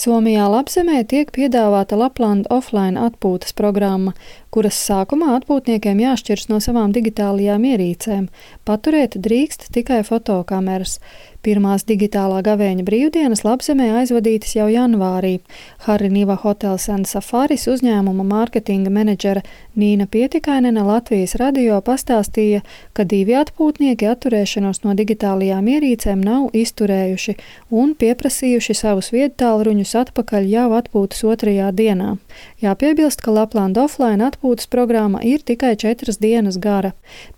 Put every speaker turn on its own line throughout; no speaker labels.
Somijā Lapzemē tiek piedāvāta Lapland offline atpūtas programma, kuras sākumā atpūtniekiem jāšķiras no savām digitālajām ierīcēm. Paturēt drīkst tikai fotokameras. Pirmās digitālā gavēņa brīvdienas Lapzemē aizvadītas jau janvārī. Hariniva Hotels and Safaris uzņēmuma mārketinga menedžere Nīna Pietikainene Latvijas radio pastāstīja, ka 2 atpūtnieki atturēšanos no digitālajām ierīcēm nav izturējuši un pieprasījuši savus viedtālruņus atpakaļ jau atpūtas 2. dienā. Jāpiebilst, ka Lapland offline atpūtas programma ir tikai 4 dienas gara.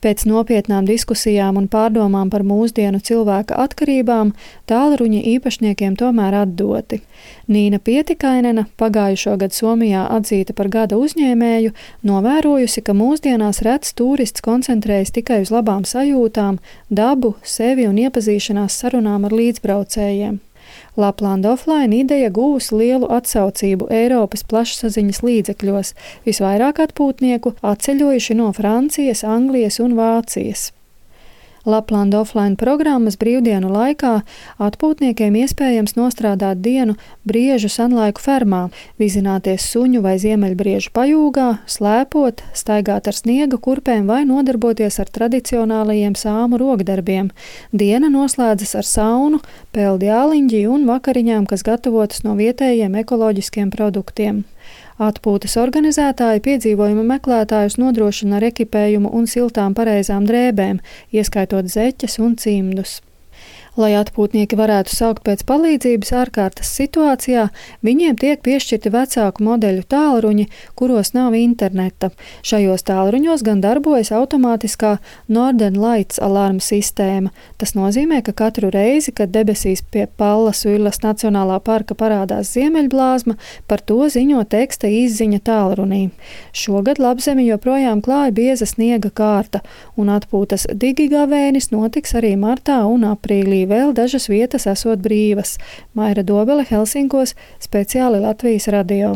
Pēc nopietnām diskusijām un pārdomām par mūsdienu cilvēka atkarībām tālruņi īpašniekiem tomēr atdoti. Nīna Pietikainene, pagājušo gadu Somijā atzīta par gada uzņēmēju, novērojusi, ka mūsdienās rets tūrists koncentrējas tikai uz labām sajūtām, dabu, sevi un iepazīšanās sarunām ar līdzbraucējiem. Lapland offline ideja guvusi lielu atsaucību Eiropas plašsaziņas līdzekļos, visvairāk atpūtnieku atceļojuši no Francijas, Anglijas un Vācijas. Lapland offline programmas brīvdienu laikā atpūtniekiem iespējams nostrādāt dienu Briežu Sanlaiku fermā, vizināties suņu vai ziemeļbriežu pajūgā, slēpot, staigāt ar sniega kurpēm vai nodarboties ar tradicionālajiem sāmu rokdarbiem. Diena noslēdzas ar saunu, peldi āliņģi un vakariņām, kas gatavotas no vietējiem ekoloģiskiem produktiem. Atpūtas organizētāji piedzīvojuma meklētājus nodrošina ar ekipējumu un siltām pareizām drēbēm, ieskaitot zeķes un cimdus. Lai atpūtnieki varētu saukt pēc palīdzības ārkārtas situācijā, viņiem tiek piešķirti vecāku modeļu tālruņi, kuros nav interneta. Šajos tālruņos gan darbojas automātiskā Northern Lights alarma sistēma. Tas nozīmē, ka katru reizi, kad debesīs pie Pallas Uilas Nacionālā parka parādās ziemeļblāzma, par to ziņo teksta izziņa tālrunī. Šogad Lapzemi joprojām klāja bieza sniega kārta, un atpūtas digigavēnis notiks arī martā un aprīlī. Vēl dažas vietas esot brīvas. Maira Dobele, Helsinkos, speciāli Latvijas radio.